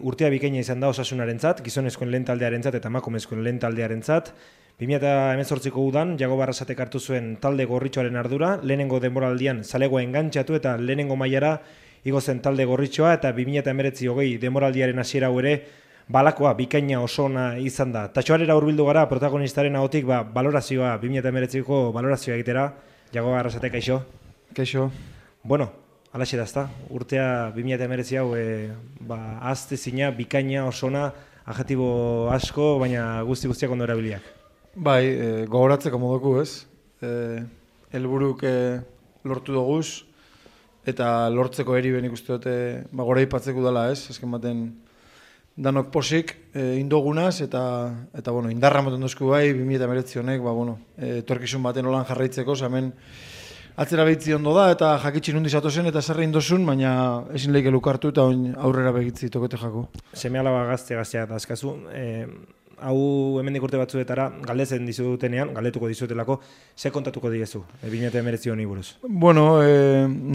Urtea bikaina izan da Osasunarentzat, gizonezkoen lehen taldearentzat eta emakumezkoen lehen taldearentzat. 2018ko udan Jago Barrasatek hartu zuen talde gorritxoaren ardura, lehenengo denboraldian zalegoa engantxatu eta lehenengo mailara igo zen talde gorritxoa, eta 2019 denboraldiaren hasiera hau ere balakoa bikaina oso ona izan da. Tatxoarera hurbildu gara protagonistaren ahotik balorazioa 2019ko balorazioa egitera. Jago Barrasatek, kaixo? Kaixo. Bueno, alaxe da, ezta? Urtea 2019 hau azte zina, bikaina, osona, adjetibo asko, baina guztiak ondo erabiliak. Bai, gogoratzeko moduko, ez? Helburuk lortu doguz, eta lortzeko eri ben ikuste dute gora ipatzeko dela, ez? Ezken baten danok posik indogunaz, eta bueno, indarra moten dozku bai, 2019 honek, torkizun baten olan jarraitzeko, hemen atzera behitzi ondo da, eta jakitxin hundi zatozen, eta zerre indozun, baina ezin lehike lukartu, eta aurrera behitzi tokote jako. Seme alaba gaztea da azkazu. Hau hemendik urte batzuetara galdetzen dizutenean, galdetuko dizutelako, ze kontatuko diezu, 2019 honi buruz? Bueno,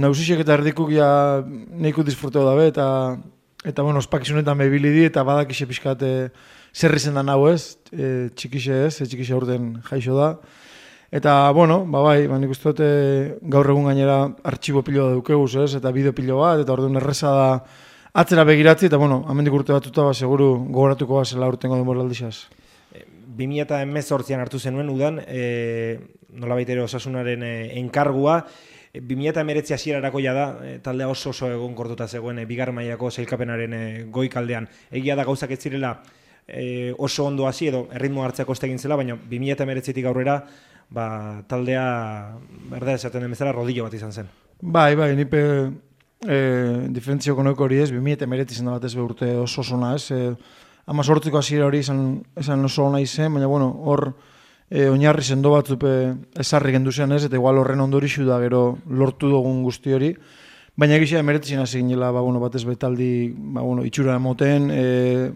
nausixek eta erdikuk ja nahiko disfruteo dabe, eta bueno, ospakizunetan behibili di, eta badakixe pixkat zer izen da nahu ez, txikixe ez, txikixe urten jaixo da. Eta, bueno, bai, nik uste dute gaur egun gainera artxibo pilo da dukeguz ez, eta bideo pilo bat, eta orduan erreza da atzera begiratzi, eta bueno, amendik urte batuta seguru gogoratuko zela urtengo denboraldizaz. 2018an hartu zenuen udan, nolabait ere Osasunaren enkargua, 2019 hasierarako da, taldea oso egonkortuta zegoen bigarren mailako sailkapenaren goikaldean. Egia da gauzak ez zirela oso ondo hasi edo erritmo hartzeko estegin zela, baina 2019tik aurrera taldea berdera esaten den bezala rodillo bat izan zen. Bai, nipe diferentzioko noiko hori ez, 2019 izan da bat ez urte oso ona ez, 18ko hasiera hori esan oso ona izen, baina bueno, hor oinarri sendo batzupe ezarri gendu zen ez, eta igual horren ondorixu da gero lortu dugun guzti hori, baina egizia 2019 hasi ginela, bat ez betaldi itxura emoten,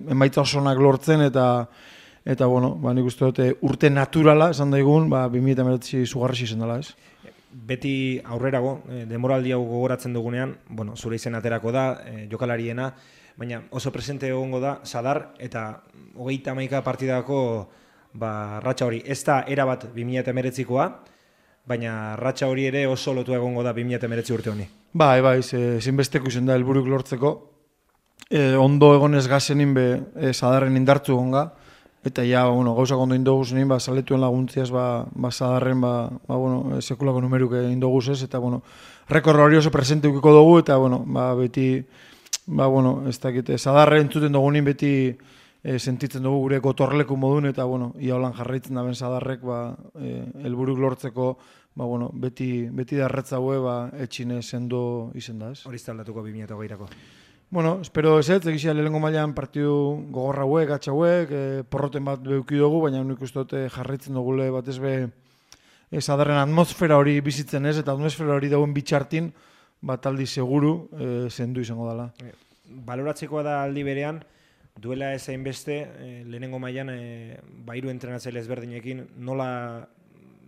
emaitza oso onak lortzen, eta bueno, nik uste dute urte naturala esan daigun, 2019 zugarresi izan dela ez. Beti aurrerago, denboraldi hau gogoratzen dugunean, zure izen aterako da, jokalariena, baina oso presente egongo da, Sadar eta 31 partidako ratxa hori. Ez da erabat 2019koa, baina ratxa hori ere oso lotu egongo da 2019 urte honi. Bai, zinbesteko izen da helburuk lortzeko. Ondo egonez gazenin Sadarren indartzu egonga, eta gauzak ondo indoguz nien, saletuen laguntziaz, Sadarren, sekulako numeruk indoguz ez, eta rekorra hori oso presente ukiko dugu, eta beti, ez dakit, Sadarren entzuten dugu nien beti sentitzen dugu gure gotorleku modun, eta ia holan jarraitzen da ben Sadarrek, helburuk lortzeko, beti darretza hue, etxine sendo izen da ez. Hori aldatuko 2020ako. Bueno, espero ez egizia lehenengo mailan partidu gogorra hauek, gatsa hauek, porroten bat beuki dugu, baina nik uste dute jarraitzen dugule bat ez Sadarren atmosfera hori bizitzen ez, eta atmosfera hori dauen bitxartin, aldi seguru zendu izango dela. Baloratzekoa da aldi berean, duela ez hainbeste, lehenengo mailan hiru entrenatzaile ezberdinekin, nola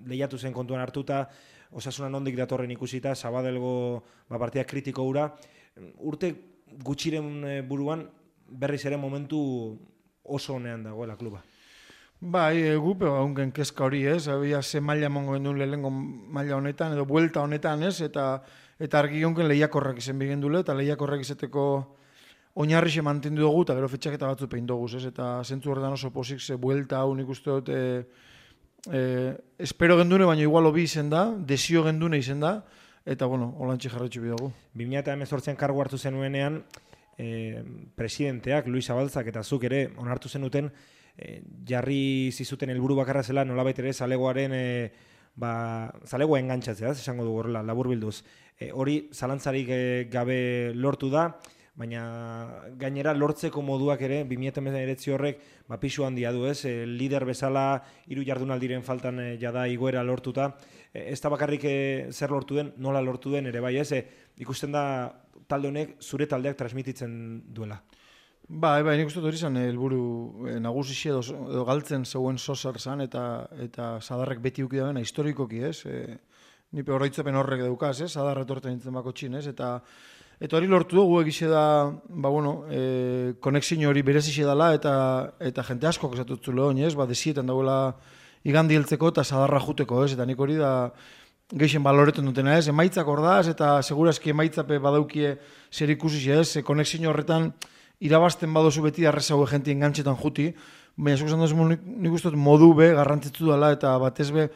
lehiatu zen kontuan hartuta, Osasuna nondik datorren ikusita, Sabadelgo partida kritiko hura, urte gutxiren buruan berriz ere momentu oso honean dagoela kluba. Bai, gupe haunken kezka hori ez, ze maila emango gendun lehenengo maila honetan, edo buelta honetan ez, eta argi haunken lehiakorrak izen bigendule, eta lehiakorrak izeteko oinarrixe mantendu dugu, eta gero fetxaketa batzu pein dugu, ez, eta zentzu horretan oso posik ze buelta hau nik uste dut, espero gendune, baina igual hobi izen da, desio gendune izen da, eta, holantxe jarretxu bidago. 2018an kargu hartu zenuenean, presidenteak, Luis Zabaltzak eta zuk ere onartu zenuten, jarri zizuten helburu bakarra zela, nolabait ere zalegoaren, zalegoa engantzatzea, esango dugu horrela, laburbilduz. Hori zalantzarik gabe lortu da, baina gainera lortzeko moduak ere, 2019 horrek pisu handia du ez, lider bezala 3 jardunaldiren faltan jada igoera lortuta, ez da bakarrik zer lortu den, nola lortu den ere bai ez, ikusten da talde honek zure taldeak transmititzen duela. Bai, nik uste hori zen helburu nagusi edo galtzen zeuen sosar zan, eta Sadarrek beti uki da historikoki ez, nipe horreitzapen horrek daukaz ez, Sadarra etorten nintzen bako txin ez, eta Eta hori lortu dugu egize da, konexio hori berezixe dela eta jente asko esatutzule honi, ez? Desietan dagoela igandi heltzeko eta sadarra juteko, ez? Eta nik hori da geixen baloretan dutena, ez? Emaitzak ordaz eta segurazki emaitzape badaukie zer ikusi, ez? Konexio horretan irabazten badozu beti arrezago jenti engantxetan juti, baina zuk esan duzu nik uste modu be garrantzitsu dela eta batez be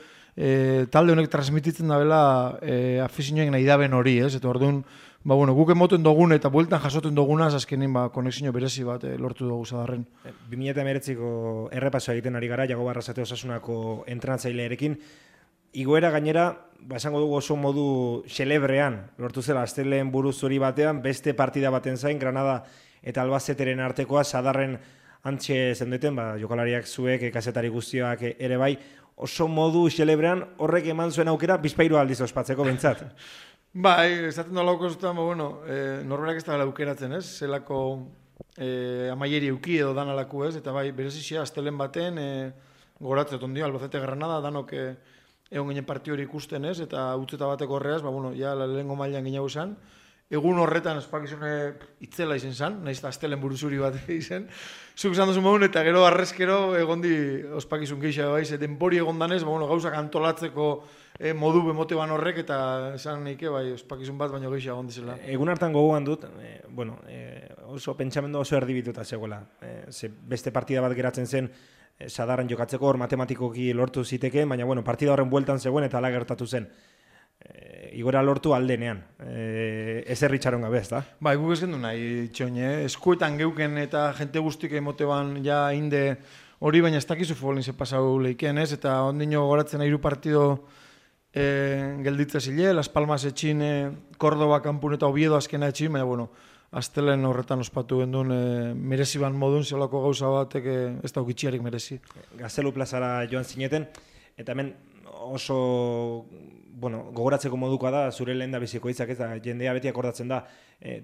talde honek transmititzen dabela afizioen nahi daben hori, ez? Eta orduan, guk emoten dugun eta bueltan jasoten dugunaz azkenin konexio berezi bat lortu dugu Sadarren. 2019ko errepaso egiten ari gara, Jago Barrasate Osasunako entrenatzailearekin. Igoera gainera, esango dugu oso modu xelebrean, lortu zela Azteleen buru zuri batean, beste partida baten zain, Granada eta Albazeteren artekoa, Sadarren antxe zendeten, jokalariak zuek, kazetari guztiak ere bai, oso modu xelebrean horrek eman zuen aukera bizpairu aldiz ospatzeko bentsat. Esaten dola okozutan, norberak ez da aukeratzen, ez? Zelako amaieri euki edo dan alaku, ez? Eta berezizia, Aztelen baten, goratzea tondio, Albacete Granada, danok egon ginen partio hori ikusten, ez? Eta utzeta bateko horreaz, lehengo mailan ginago zen. Egun horretan ospakizune itzela izen zen, nahiz eta Aztelen buruzuri bat izen. Zuk esan duzu maun eta gero arrezkero egondi ospakizun geisha baiz, denbori egon danez, gauzak antolatzeko modu bemote ban horrek eta esan neike ospakizun bat baino geisha egon dizela. Egun hartan gogoan dut, oso pentsamendu oso erdibituta zegoela. Beste partida bat geratzen zen Sadarren jokatzeko hor matematikoki lortu ziteke, baina partida horren bueltan zegoen eta ala gertatu zen. Igora lortu aldenean, ezer ritxaron gabe, ez da? Guk ez gendu nahi, txoine, eskuetan geuken eta jente guztik emote ban ja inde hori, baina ez dakizu futbolin ze pasau leiken, ez? Eta ondino goratzen hiru partido gelditza zile, Las Palmas etxin, Córdoba kanpun eta Oviedo azkena etxin, baina, Aztelen horretan ospatu gendun merezi ban modun, zeolako gauza batek ez da ukitxiarik merezi. Gaztelu plazara joan zineten, eta hemen oso gogoratzeko modukoa da, zure lehen da biziko hitzak, eta jendea beti akordatzen da,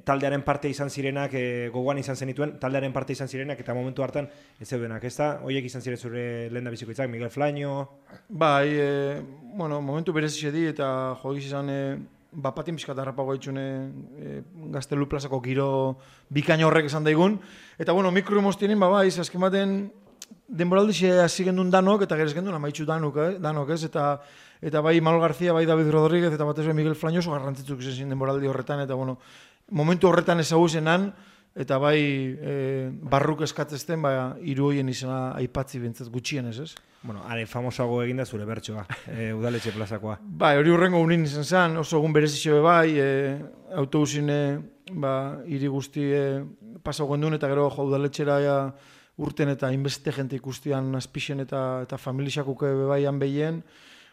taldearen parte izan zirenak, gogoan izan zenituen, taldearen parte izan zirenak, eta momentu hartan ez zeudenak, ez da? Oiek izan ziren zure lehen da biziko hitzak, Miguel Flaño... Momentu berezi di, eta jogiz izan, patin pixkat harrapago itxune Gaztelu plazako giro bikaino horrek esan daigun, eta mikro emoztienin, azken baten, denboraldixe hasi gendun danok, eta gerez gendun amaitxu danok, ez? Eta bai Manuel García, bai David Rodríguez, eta batez Miguel Flaño oso garrantzitsuk izan denboraldi horretan, eta momentu horretan ezaguzenan, eta bai barruk eskatzezten, hiru hoien izena aipatzi bintzat gutxien ez? Are famosago eginda zure bertsoa, udaletxe plazakoa. Hori hurrengo unin izan zen, oso egun berezizio bai, autobusin hiri guzti pasau gendun, eta gero udaletxera urten eta inbeste jente ikustian azpixen eta familixakuk baian behien.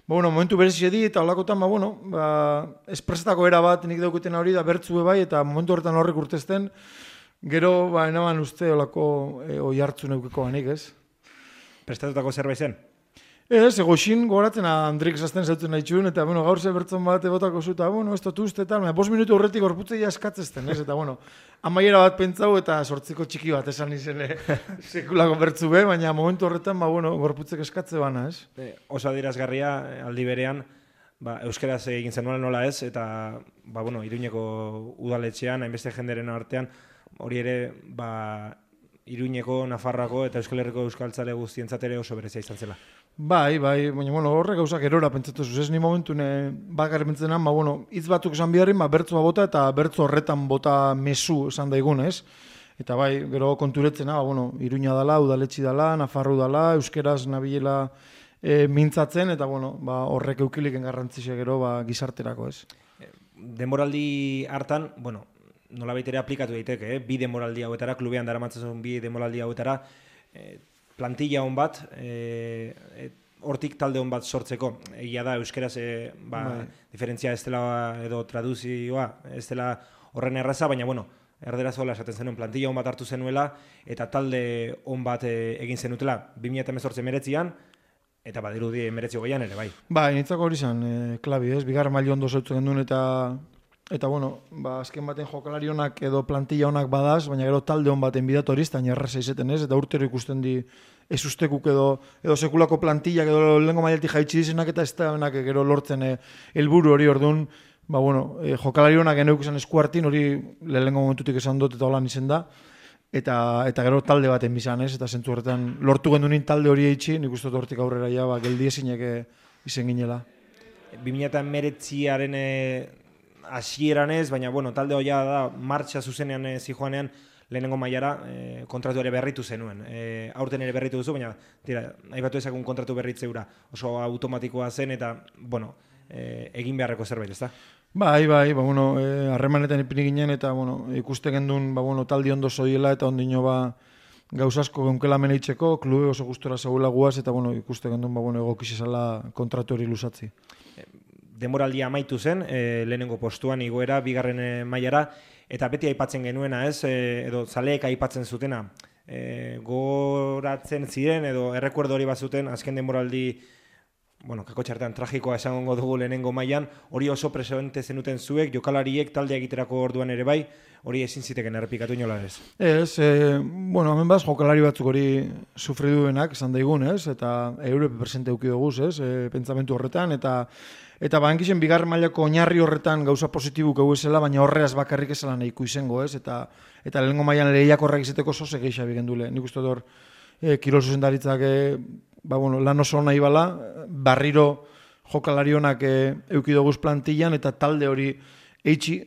Momentu berezizio di, eta holakotan, espresetako era bat nik dauketen hori da bertzu bai, eta momentu horretan horrek urtezten, gero, enaban uste olako oi hartzu neukeko banik, ez? Prestatutako zerbait zen? Ez, egoxin goratzen Andrik zazten zautzen nahi txun, eta gaur ze bertzon bat ebotako zu, eta ez dut uste, eta 5 minutu horretik gorputzei askatzezten, ez? Eta amaiera bat pentsau eta sortziko txiki bat esan izen sekulako bertzu be, baina momentu horretan gorputzek eskatze bana, ez? Oso adierazgarria aldi berean, euskeraz egin zen nola ez, eta Iruñeko udaletxean, hainbeste jenderen artean, hori ere, Iruñeko, Nafarroako eta Euskal Herriko euskaltzale guztientzat ere oso berezia izan zela. Bai, baina horrek gauzak erora pentsatu zuz, ez ni momentun bakar pentsenan, hitz batzuk esan biharrin, bertzua bota eta bertzu horretan bota mezu esan daigun, ez? Eta gero konturetzena, Iruña dala, udaletxi dala, Nafarro dala, euskeraz nabilela mintzatzen, eta horrek eukiliken garrantzizia gero gizarterako, ez? Denboraldi hartan, nola baitere aplikatu daiteke, bi denboraldi hauetara, klubean daramatzen bi denboraldi hauetara, plantilla hon bat, hortik talde hon bat sortzeko. Egia da, euskeraz, diferentzia ez dela edo traduzioa, ez dela horren erraza, baina, erderaz hola esaten zenuen, plantilla hon bat hartu zenuela, eta talde hon bat egin zenutela, 2018 meretzian, eta badirudi meretzi hogeian ere, bai. Nitzako hori zen, klabi, ez? Bigarren maili ondo zautzen genuen, eta azken baten jokalari honak edo plantilla honak badaz, baina gero talde hon baten bidatu hori, eta erraza izeten ez, eta urtero ikusten di ez ustekuk edo sekulako plantilla edo lehenko maileti jaitsi dizenak, eta ez da gero lortzen helburu hori orduan, ba, bueno, jokalari honak geneuk izan esku hartin, hori lehenengo momentutik esan dut eta holan izen da, eta gero talde baten bizan, ez? Eta zentzu horretan lortu gendunin talde hori eitzi, nik uste dut hortik aurrera ja, ba, geldi ezinek izen ginela. 2019aren hasieran ez, baina bueno, talde hoia da martxa zuzenean zijoanean lehenengo mailara kontratu ere berritu zenuen. Aurten ere berritu duzu, baina tira, aipatu ezakun kontratu berritzeura oso automatikoa zen eta bueno, egin beharreko zerbait, ezta? Bai, ba, bueno, harremanetan ipini ginen eta bueno, ikuste gendun, ba, bueno, taldi ondo zoiela eta ondino ba, gauzasko geunkela meneitzeko, klube oso gustora zaula guaz eta bueno, ikuste gendun, ba, bueno, egokizizala kontratu hori lusatzi. Demoraldia amaitu zen, lehenengo postuan igoera, bigarren mailara, eta beti aipatzen genuena, ez, edo zaleek aipatzen zutena, goratzen ziren, edo errekuerdo hori bazuten, azken demoraldi, bueno, kako txartean tragikoa esango dugu lehenengo mailan, hori oso presente zenuten zuek, jokalariek talde egiterako orduan ere bai, hori ezin ziteken errepikatu inola ez? Ez, bueno, hemen baz, jokalari batzuk hori sufriduenak, esan daigun, ez, eta eure presente euki duguz, ez, pentsamentu horretan, eta bankixen bigarren mailako oinarri horretan gauza positibuk egu esela, baina horreaz bakarrik esela nahiko izango, ez, eta lehenengo mailan lehiak horrek izateko zoze geixa bigendule. Nik uste dut kirol zuzendaritzak ba, bueno, lan oso nahi bala, barriro jokalari honak euki duguz plantillan, eta talde hori eitzi,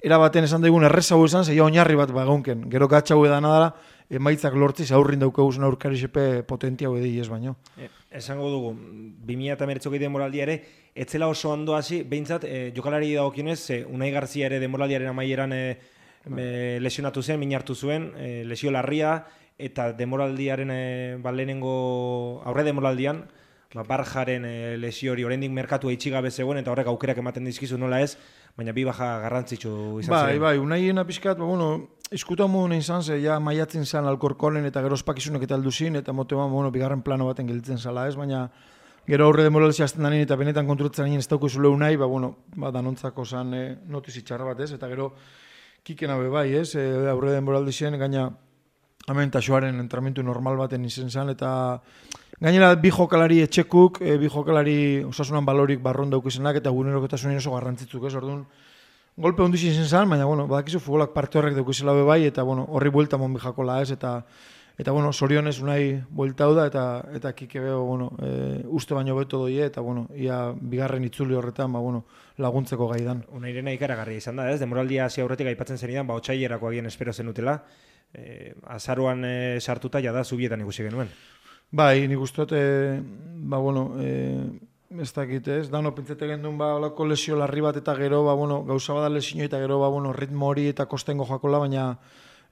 erabaten esan daigun errezau esan, zeia oinarri bat bagaunken. Gero gatxau edana dara, emaitzak lortziz aurrin daukaguzun aurkari sepe potentia hori ez baino. Esango dugu, 2019 demoraldia ere, etzela oso ondo hasi, behintzat, jokalari dagokionez, Unai Garzia ere demoraldiaren amaieran lesionatu zen, min hartu zuen, lesio larria, eta demoraldiaren lehenengo aurre demoraldian, Barjaren lesio hori oraindik merkatu eitxigabe zegoen, eta horrek aukerak ematen dizkizu nola ez, baina bi baja garrantzitsu izan ziren. Bai, Unaien apiskat, bueno, iskutu amun izan ze, ja maiatzen zan Alkorkolen eta gero ospakizunek eta alduzin, eta motean, bueno, bigarren plano baten gelditzen zala ez, baina gero aurre demoralizia azten danin eta benetan konturatzen danin ez dauko zule Unai, bueno, danontzako zan notizi txarra bat ez, eta gero kikena be bai ez, aurre demoralizien gaina hemen taxoaren entramentu normal baten izen zan, eta gainera bi jokalari etxekuk, bi jokalari osasunan balorik barron daukizenak eta gunerokotasunen oso garrantzitzuk ez, orduan golpe ondizien izen zan, baina bueno, badakizu futbolak parte horrek daukizela be bai, eta bueno, horri buelta mon bijakola ez, eta bueno, sorionez Unai buelta da, eta kike beho, bueno, uste baino beto doi, eta bueno, ia bigarren itzuli horretan, bueno, laguntzeko gaidan. Unairena ikaragarria izan da, ez? Demoraldia hasi aurretik aipatzen zenidan, otsailerako agian espero zenutela, azaroan sartuta jada zubietan ikusi genuen. Bai, nik uste dut, bueno, ez dakit ez, dano pentsete gendun, olako lesio larri bat eta gero, bueno, gauza bada lesio eta gero, bueno, ritmo hori eta kostengo jakola, baina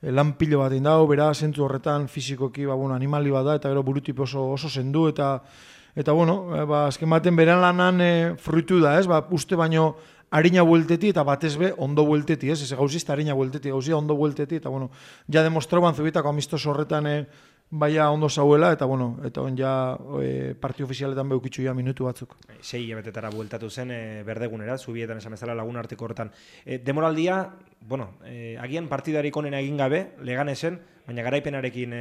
lan pilo bat indau, bera, zentzu horretan, fizikoki, bueno, animali bat da, eta gero burutipo oso zendu, eta bueno, azken baten beran lanan fruitu da, ez, uste baino harina buelteti eta batez be ondo buelteti, ez gauzizta harina buelteti, gauzia ondo buelteti, eta bueno, ja demostraban zubitako amistoso horretan baia ondo zauela, eta bueno, eta on ja partio ofizialetan beukitzu ja minutu batzuk. 6 hilabetetara bueltatu zen berdegunera, zubietan esan bezala lagun arteko horretan. Demoraldia, bueno, agian partidarik onena egin gabe, Leganesen, baina garaipenarekin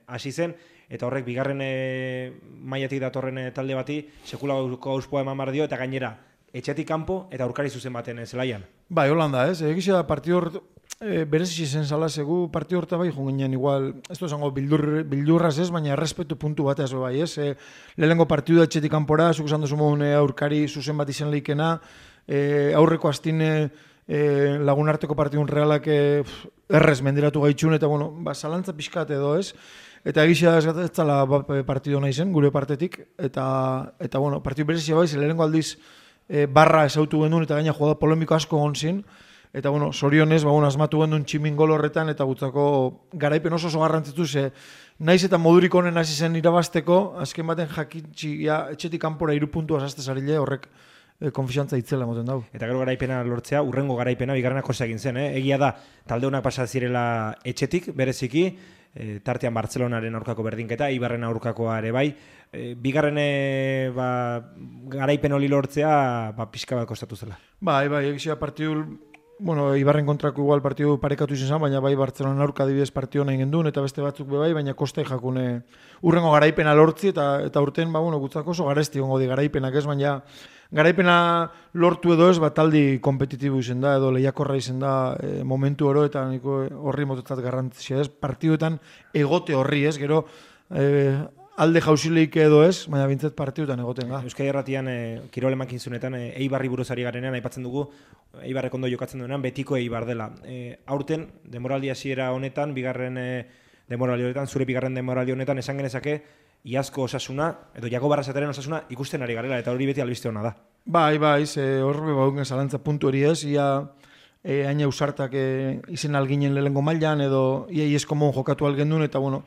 hasi zen, eta horrek bigarren mailatik datorren talde bati sekulako auspoa eman bar dio, eta gainera etxetik kanpo eta aurkari zuzen baten zelaian. Bai, Holanda, ez? Egizia partido berezi zen zala zegu partido horta bai junginen igual, ez du esango bildurraz ez, baina errespetu puntu bat ez bai, ez? Lehenengo partidu etxetik kanpora, zuk esan duzu mogun aurkari zuzen bat izan leikena, aurreko astine lagunarteko partidun realak errez mendiratu gaitxun, eta bueno, zalantza pixkat edo ez, eta egizia ez zala partidu nahi zen, gure partetik, eta bueno, partidu berezia bai, lehenengo aldiz barra esautu gendun, eta gaina jugada polemiko asko gontzin, eta bueno, sorionez, asmatu gendun tximin gol horretan, eta gutzako garaipen oso garrantzitzu, naiz eta modurik honen hasi zen irabazteko, azken baten jakintxi, etxetik kanpora 3 puntu azazte zarile, horrek konfiantza itzela moten dau. Eta gero garaipena lortzea, urrengo garaipena, bigarrenak osa egin zen, Egia da, talde honak pasa zirela etxetik, bereziki, tartean Bartzelonaren aurkako berdinketa, Ibarren aurkakoa ere bai, bigarren garaipen hori lortzea pixka bat kostatu zela. Bai, egizia partidu bueno, Ibarren kontrako igual partidu parekatu izan zen, baina bai Bartzelona aurka adibidez partidu nahi gendun, eta beste batzuk bai, baina kostai jakune urrengo garaipena lortzi, eta urten, bueno, gutzako oso garesti gongo di garaipenak ez, baina garaipena lortu edo ez, taldi kompetitibo izen da, edo lehiakorra izen da momentu oro, eta niko horri mototzat garrantzia ez, partiduetan egote horri ez, gero alde jauzileik edo ez, baina bintzat partiduetan egoten ga. Euskadi Erratian kirol emankizunetan Eibarri buruz ari garenean aipatzen dugu Eibarrek ondo jokatzen duenean betiko Eibar dela. Aurten demoraldi hasiera honetan, demoraldi honetan, zure bigarren demoraldi honetan esan genezake iazko osasuna edo Jakob Arrasataren osasuna ikusten ari garela eta hori beti albiste ona da. Bai, horre bauen zalantza puntu hori ez, ia haina usartak izen alginen lehengo mailan edo ia iesko mon jokatu algendun eta bueno,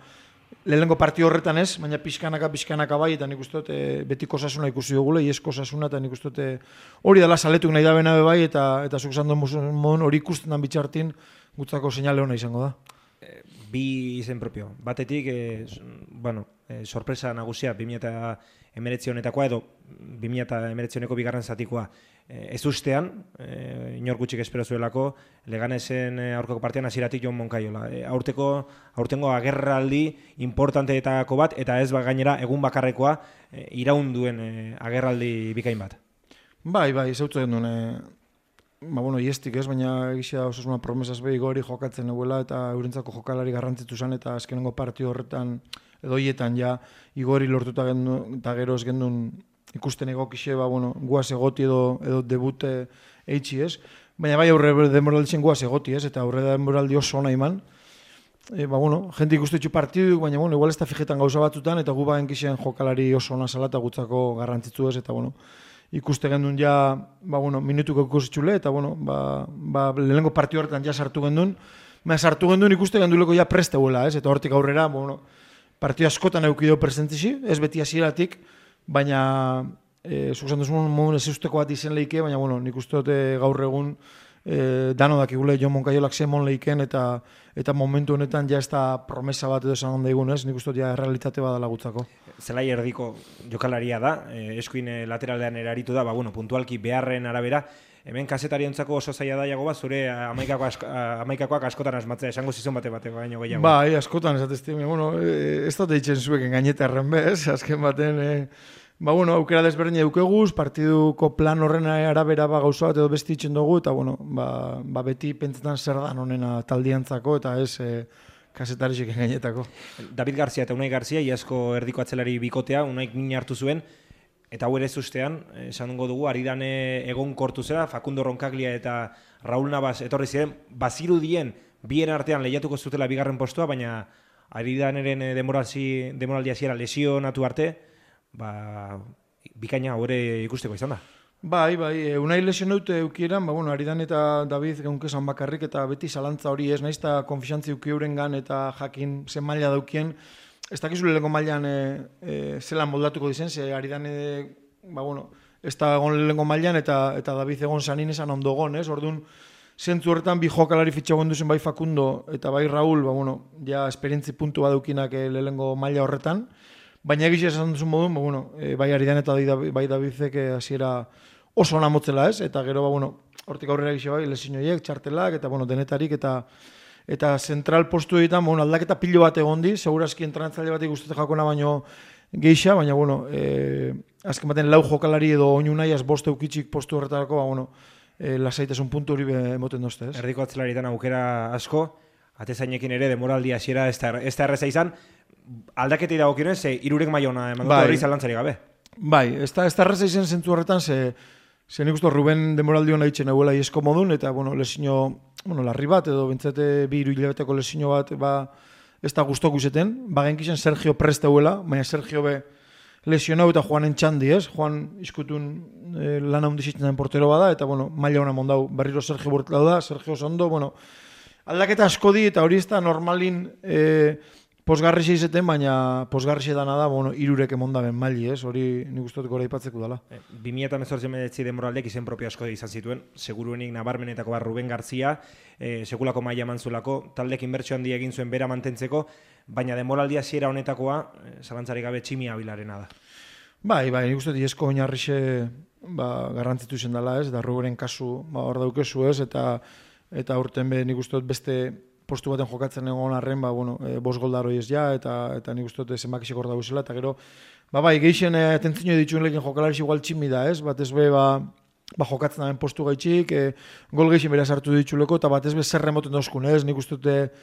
lehengo partio horretan ez, baina pixkanaka bai, eta nik uste dut betiko osasuna ikusi dugule, iesko osasuna, eta nik uste dut hori dela saletuk nahi da bena bai, eta zuk esan duen modun hori ikusten dan bitxartin gutzako seinale hona izango da. Bi izen propio. Batetik, sorpresa nagusia 2019 honetakoa edo 2019 honeko bigarren zatikoa. Ez ustean, inor gutxik espero zuelako, Leganesen aurkako partian hasieratik Jon Moncayola. Aurtengo agerraldi importanteetako bat, eta ez gainera egun bakarrekoa iraun duen agerraldi bikain bat. Bai, zautzen duen, iestik ez, baina egizia osasuna promesaz behi gori jokatzen eguela eta eurentzako jokalari garrantzitu zen eta azkenengo partio horretan edo hietan ja igori lortuta gendun, eta gero ez gendun ikusten egokixe, guaz egoti edo debute eitxi ez. Baina bai aurre demoralditzen guaz egoti ez, eta aurre demoraldi oso ona iman. Jente ikustitxu partidu, baina igual ez da fijetan gauza batzutan, eta gu bagen kixen jokalari oso ona zala eta gutzako garrantzitzu ez, eta ikuste gendun ja, minutuko ikusitxule, eta lehenengo partio horretan ja sartu gendun, sartu gendun ikuste genduleko ja preste huela, ez, eta hortik aurrera, partio askotan eukideo presentzi, ez beti hasieratik, baina zuzan duzun modun ez usteko bat izen leike, baina nik uste dut gaur egun dano dakigule Jon Moncayolak zemon leiken eta momentu honetan ja ez da promesa bat edo esan daigun ez, nik uste dut ja realitate badala gutzako. Zelai erdiko jokalaria da, eskuin lateraldean eraritu da, puntualki beharren arabera, hemen kasetariontzako oso zaila da jago bat, zure amaikakoak askotan asmatzea, esango zizon bate baino gehiago. Bai, askotan esatezti, ez dut eitzen zuek engañetarren bez, azken baten, aukera desberdin edukeguz, partiduko plan horren arabera gauza bat edo besti itzen dugu, eta beti pentsetan zer dan honena taldiantzako, eta ez kasetarisik engainetako. David Garcia eta Unai Garcia, iazko erdiko atzelari bikotea, Unaik min hartu zuen, eta hau ere ustean, esan dugu, Aridane egon kortu zera, Facundo Roncaglia eta Raúl Navas etorri ziren, bazirudien bien artean lehiatuko zutela bigarren postua, baina Aridaneren demoraldi hasiera lesionatu arte, bikaina hori ikusteko izan da. Bai, Unai lesionaute eukieran, Aridan eta David geunkezan bakarrik, eta beti zalantza hori ez, nahiz eta konfixantzi eukieuren gan eta jakin zen maila daukien, ez dakizu lehenko mailan zelan moldatuko dizen, ze Aridan ez da egon lehenko mailan eta David egon zanin esan ondo egon, ez? Orduan, zentzu horretan bi jokalari fitxagoen duzen bai Facundo eta bai Raúl, ja esperientzi puntu badaukinak lehenko maila horretan, baina egizia esan duzun modun, bai Aridan eta bai Davidek hasiera oso ona motzela ez, eta gero, hortik aurrera egizia bai, lesinoiek, txartelak, eta denetarik, eta zentral postu egiten, aldaketa pilo bat egondi, segurazki entranatzaile bat ikustete jakona baino geixa, baina, azken baten lau jokalari edo oinu nahi, bost eukitxik postu horretarako, lasaitasun puntu hori emoten dozte, ez? Erdiko atzelaritan aukera asko, atezainekin ere demoraldi hasiera ez da erreza izan, aldaketei dagokionez, hirurek maiona eman dut hori zalantzari gabe. Bai, ez da erreza izan zentzu horretan, ze nik uste Ruben demoraldi hona itxen eguela iesko modun, eta lesino, larri bat, edo bentzete bi hiru hilabeteko lesino bat, ez da guztoku izeten, genkisen Sergio preste eguela, baina Sergio be lesionau eta Juanen txandi, ez? Juan izkutun lana hundizitzen den portero bada, eta maila hona mondau, berriro Sergio burtlau da, Sergio Sondo, aldaketa asko di, eta hori ez da normalin posgarri izeten, baina posgarri dana da, hirurek emondaben maili, ez? Hori nik uste dut gora ipatzeko dela. 2018 demoraldeak izen propio asko izan zituen, seguruenik nabarmenetako bat Ruben Garcia, sekulako maila mantzulako, taldek inbertsio handi egin zuen bera mantentzeko, baina demoraldi hasiera honetakoa, zalantzarik gabe Tximi Abilarena da. Bai, nik uste dut oinarrixe garrantzitu zen dela, ez? Da Rubenen kasu hor daukezu, ez? Eta eta urten nik uste dut beste postu baten jokatzen egon arren, bueno, 5 gol da ez ja, eta nik uste dut zenbakisek hor dauzela, eta gero, bai, geixen atentzio dituen lekin jokalariz igual tximi da, ez? Batez be, jokatzen daben postu gaitxik, gol geixen beraz hartu dituleko, eta batez be zer remoten dauzkun, ez? Nik uste dut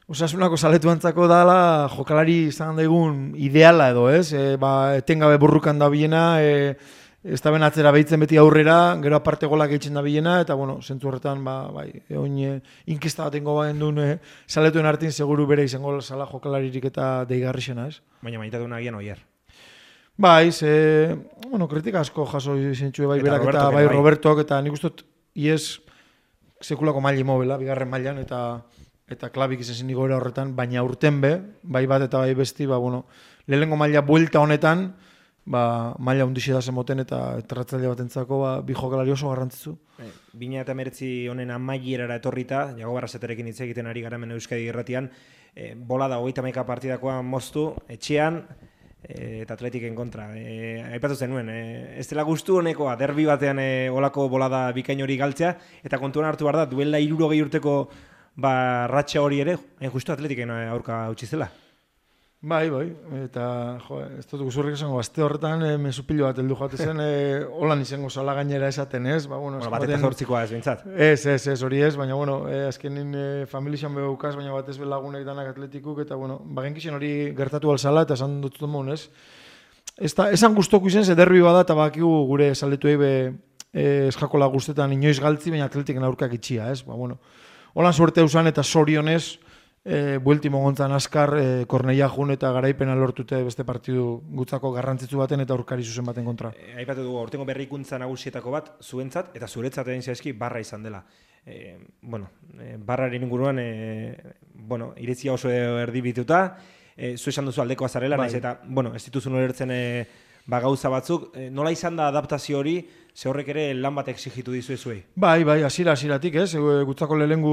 Osasunako saletu antzako dala jokalari izan daigun ideala edo, ez? Etengabe burrukan da biena, ez da ben atzera behitzen beti aurrera, gero aparte golak eitzen da bilena, eta, bueno, zentzu horretan, inkesta bat ingo bagen duen saletuen artin, seguru bere izango zala jokalaririk eta deigarri xena, ez? Baina maitatu nagian oier. Bai, kritika asko jaso izentxue bai berak eta bai Robertok, eta nik ustot, iez sekulako maili mobila, bigarren mailan, eta klabik izan zen igoera horretan, baina urten be, bai bat eta bai besti, lehenengo maila buelta honetan, maila hundixe da zemoten eta erratzaile batentzako bi jokalari oso garrantzitsu. 2019 honen amaierara etorrita, Jago Barrasaterekin hitz egiten ari gara hemen Euskadi Irratian, bolada 31 partidakoa moztu, etxean, eta Atletiken kontra. Aipatu zenuen, ez dela gustu honekoa, derbi batean olako bolada bikain hori galtzea, eta kontuan hartu behar da, duela 60 urteko ratxa hori ere, justu Atletiken aurka utzi zela. Bai, eta ez dut guzurrik esango, azte horretan mesupilo bat heldu joate zen, holan izango zala gainera esaten ez. Bat eta zortzikoa ez bintzat. Ez, hori ez, baina azkenin familixan behaukaz, baina bat ez belagunek danak Atletikuk, eta bagenkixen hori gertatu alzala, eta esan dut mon, ez. Esan guztoku izen, ze derbi bada, eta bakigu gure saldetu ebe eskakola guztetan inoiz galtzi, baina Atletiken aurkak itxia, ez. Holan suerte usan eta sorionez, buelti mogontzan askar, Korneia jun eta garaipena lortute beste partidu gutzako garrantzitsu baten eta aurkari zuzen baten kontra. Aipatu dugu, aurtengo berrikuntza nagusietako bat, zuentzat eta zuretzat egin zaizki barra izan dela. Barraren inguruan, iritzia oso erdibituta, zu esan duzu aldekoa zarela, naiz eta, ez dituzun ulertzen gauza batzuk, nola izan da adaptazio hori, ze horrek ere lan bat exigitu dizu ezuei? Bai, hasieratik, ez? Gutzako lehengu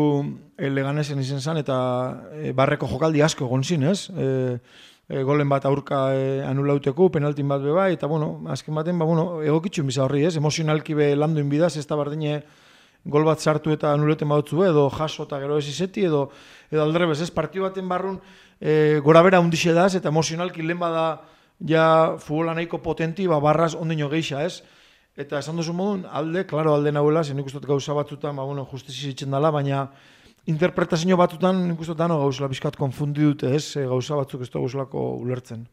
Leganesen izen zan, eta barreko jokaldi asko egon zin, ez? Golen bat aurka anulauteko, penaltin bat beba, eta, azken baten, egokitxun biza horri, ez? Emozionalki be landuin bidaz, ez da bardine gol bat sartu eta anuleten badutzu, edo jaso eta gero ez izeti, edo aldrebez, ez? Partio baten barrun gora bera hundixe daz, eta emozionalki lehen bada ja futbola nahiko potenti, barraz ondino geixa, ez? Eta esan duzu modun, alde nahuela, zen nik ustot gauza batzutan, justizi zitzen dela, baina interpretazio batzutan nik ustot dano gauzela bizkat konfundi dute, ez? Gauza batzuk ez da gauzelako ulertzen.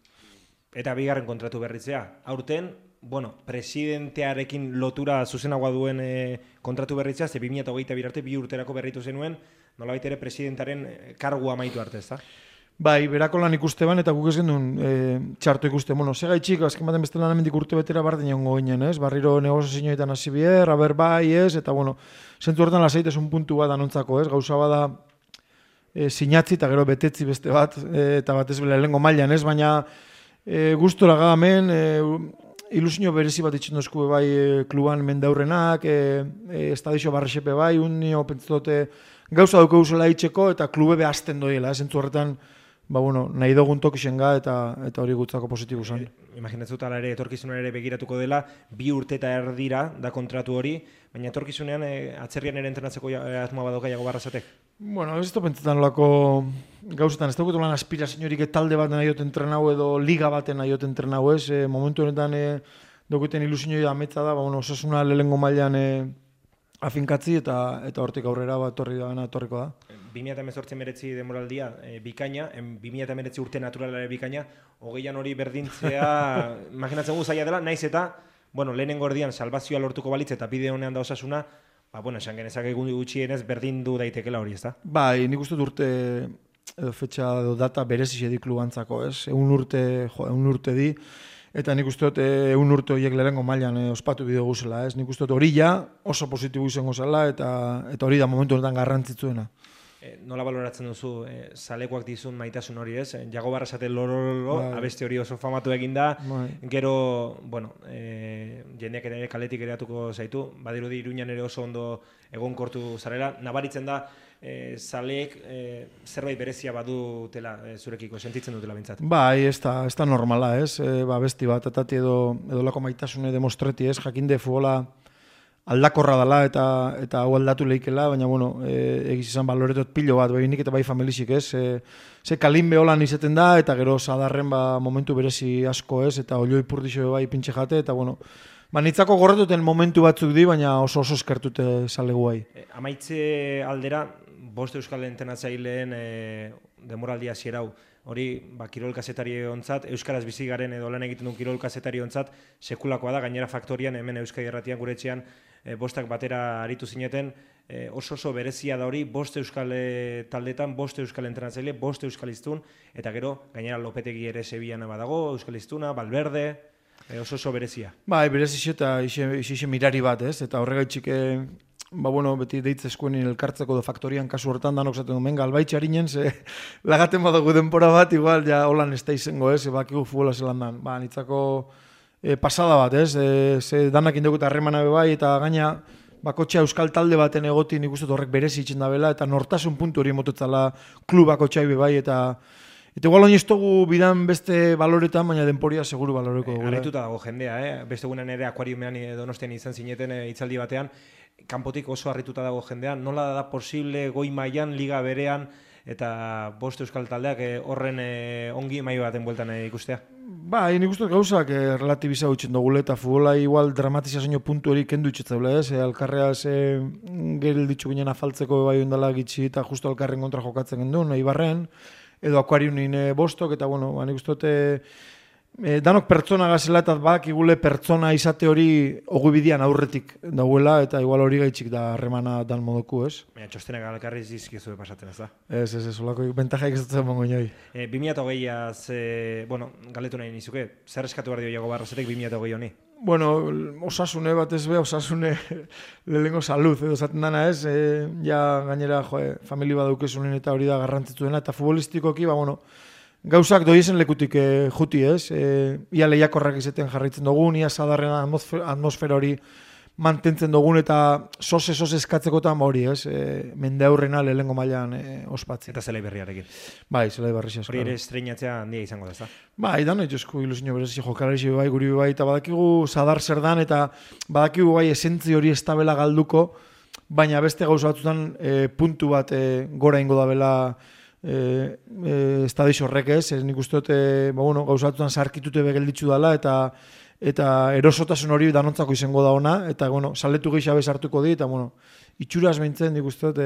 Eta bigarren kontratu berritzea. Aurten, presidentearekin lotura zuzenagoa duen kontratu berritzea, ze 2022 arte 2 urterako berritu zenuen, nolabait ere presidentaren kargua amaitu arte, ez da? Bai, berako lan ikuste ban, eta guk ez gendun txarto ikuste. Sega itxik, azken baten beste lan hemendik urte betera barden jongo ginen, ez? Barriro negozazioetan hasi bier, aber bai, ez? Eta, zentzu horretan lasaitesun puntu bat anontzako, ez? Gauza bada sinatzi eta gero betetzi beste bat, eta bat ez bela lehengo mailan, ez? Baina gustora gagamen, ilusio berezi bat itxen dozku bai kluban mendaurrenak, estadizio barrexepe bai, unio pentsote gauza duke usela itxeko eta klube behazten doiela, zentzu horretan nahi dugun tokixen ga eta hori gutzako positibu zen. Imaginatzen ala ere, etorkizunean ere begiratuko dela, 2 urte eta erdira da kontratu hori, baina etorkizunean atzerrian ere entrenatzeko asmoa badoka Jago Barrasatek? Ez da pentsetan olako gauzetan, ez daukatu lan aspiraziorik talde baten nahi entrenau edo liga baten nahi entrenau, ez? Momentu honetan daukuten ilusioi ametza da, osasuna lehengo mailan afinkatzi eta hortik aurrera etorriko da. 2018 demoraldia bikaina, 2019 urte naturalare bikaina, 20an hori berdintzea, imaginatzen gu zaila dela, naiz eta, lehenengo erdian salvazioa lortuko balitz eta bide honean da osasuna, esan genezak egun gutxienez berdindu daitekela hori, ez da? Bai, nik uste urte edo fetxa edo data berezi edik klubantzako, ez? Egun urte di, eta nik uste dut egun urte horiek lehenengo mailan ospatu bideo guzela, ez? Nik uste dut hori ja oso positibo izango zela eta hori da momentu honetan garrantzitzuena. Nola baloratzen duzu, zalekoak dizun maitasun hori, ez? Jago Barrasate lorolo, abeste hori oso famatu eginda, gero, jendeak ere kaletik ereatuko zaitu, badirudi Iruñan ere oso ondo egonkortu zarela, nabaritzen da, zaleek zerbait berezia badutela zurekiko, sentitzen dutela bintzat. Bai, ez da normala, ez? Besti bat, atati edo lako maitasune demostreti, ez? Jakinde futbola aldakorra dela eta hau aldatu leikela, baina bueno, egiz izan baloretot pilo bat, bai nik eta bai familisik, ez? Ze kalinbe holan izaten da, eta gero sadarren momentu berezi asko, ez? Eta olioi purdixo bai pintxe jate, eta bueno, nitzako gorretuten momentu batzuk di, baina oso eskertute zalegu bai. Amaitze aldera, bost euskal entrenatzaileen demoraldia zierau, hori kirol kazetari ontzat, euskaraz bizi garen edo lan egiten duen kirol kazetari ontzat, sekulakoa da, gainera faktorian, hemen Euskadi Irratian gure etxean, bostak batera aritu zineten, oso berezia da hori, bost euskal taldetan, bost euskal entrenatzaile, bost euskaliztun, eta gero, gainera Lopetegi ere Sevillan badago, euskaliztuna, Valverde, oso berezia. Berezio eta ixe mirari bat, ez? Eta horregaitxik, beti deitzezkoen elkartzeko do faktorian kasu hortan danok zaten duen, galbaitxe harinen, ze lagaten badago denpora bat, igual, ja, holan ez da izango, ez? Bakigu futbola zelan dan. Nitzako pasada bat, ez? Ze danak indegu eta harremana bai, eta gaina, bakotxea euskal talde baten egoti nik uste horrek berezi itxen da bela, eta nortasun puntu hori motetzala klubak otxai bai, eta igual oin ez dugu bidan beste baloretan, baina denporia seguru baloreko dugu. Araituta dago jendea, beste gunen ere akuariumean Donostian izan zineten hitzaldi batean, kanpotik oso harrituta dago jendea, nola da posible goi mailan liga berean, eta bost euskal taldeak horren ongi mai baten bueltan ikustea? Nik uste gauzak relatibiza utxen dugule, eta futbola igual dramatizazio puntu hori kendu itxetzaule, ez? Alkarrea geril ditxu ginen afaltzeko bai ondala gitxi, eta justo alkarren kontra jokatzen gendun, Ibarren, edo akuariunin bostok, eta bueno, nik uste danok pertsona gazela eta bakigule pertsona izate hori ogubidian aurretik dauela, eta igual hori gaitxik da harremana dan moduku, ez? Baina txostenak alkarriz izkizu pasatzen, ez da? Ez, olako bentajaik ez dutzen mongo inoi. 2008az, galetu nahi nizuke, zer eskatu behar dio Iago Barrosetek 2008 honi? Osasune bat ez be, osasune lehengo salud, edo zaten dana ez, ja gainera famili badaukezunen eta hori da garrantzitsuena, eta futbolistikoki, gauzak doiezen lekutik juti ez, ia lehiakorrak izaten jarraitzen dugun, ia sadarren atmosfera hori mantentzen dugun, eta sose eskatzekotan hori ez, mende aurrena lehengo mailan ospatzen. Eta zelai berriarekin. Zelai berri hori ere estreinatzea handia izango da, ez da? Dan etxosko ilusio berezi jokalari bai, guri bai, eta badakigu sadar zer dan, eta badakigu bai esentzi hori estabela galduko, baina beste gauza batzutan puntu bat gora ingo da bela estadiz horrek ez, nik uste dut gauzatutan sarkitute begelditzu dela, eta erosotasun hori danontzako izango da ona, eta saletu gehiago hartuko di, eta itxuraz behintzen nik uste dut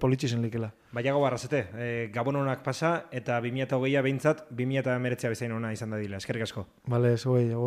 politxe zen likela. Iago Barrosete, Gabon honak pasa, eta 2008a behintzat 2019 bezain ona izan da dila, eskerrik asko. Bale, zo agur.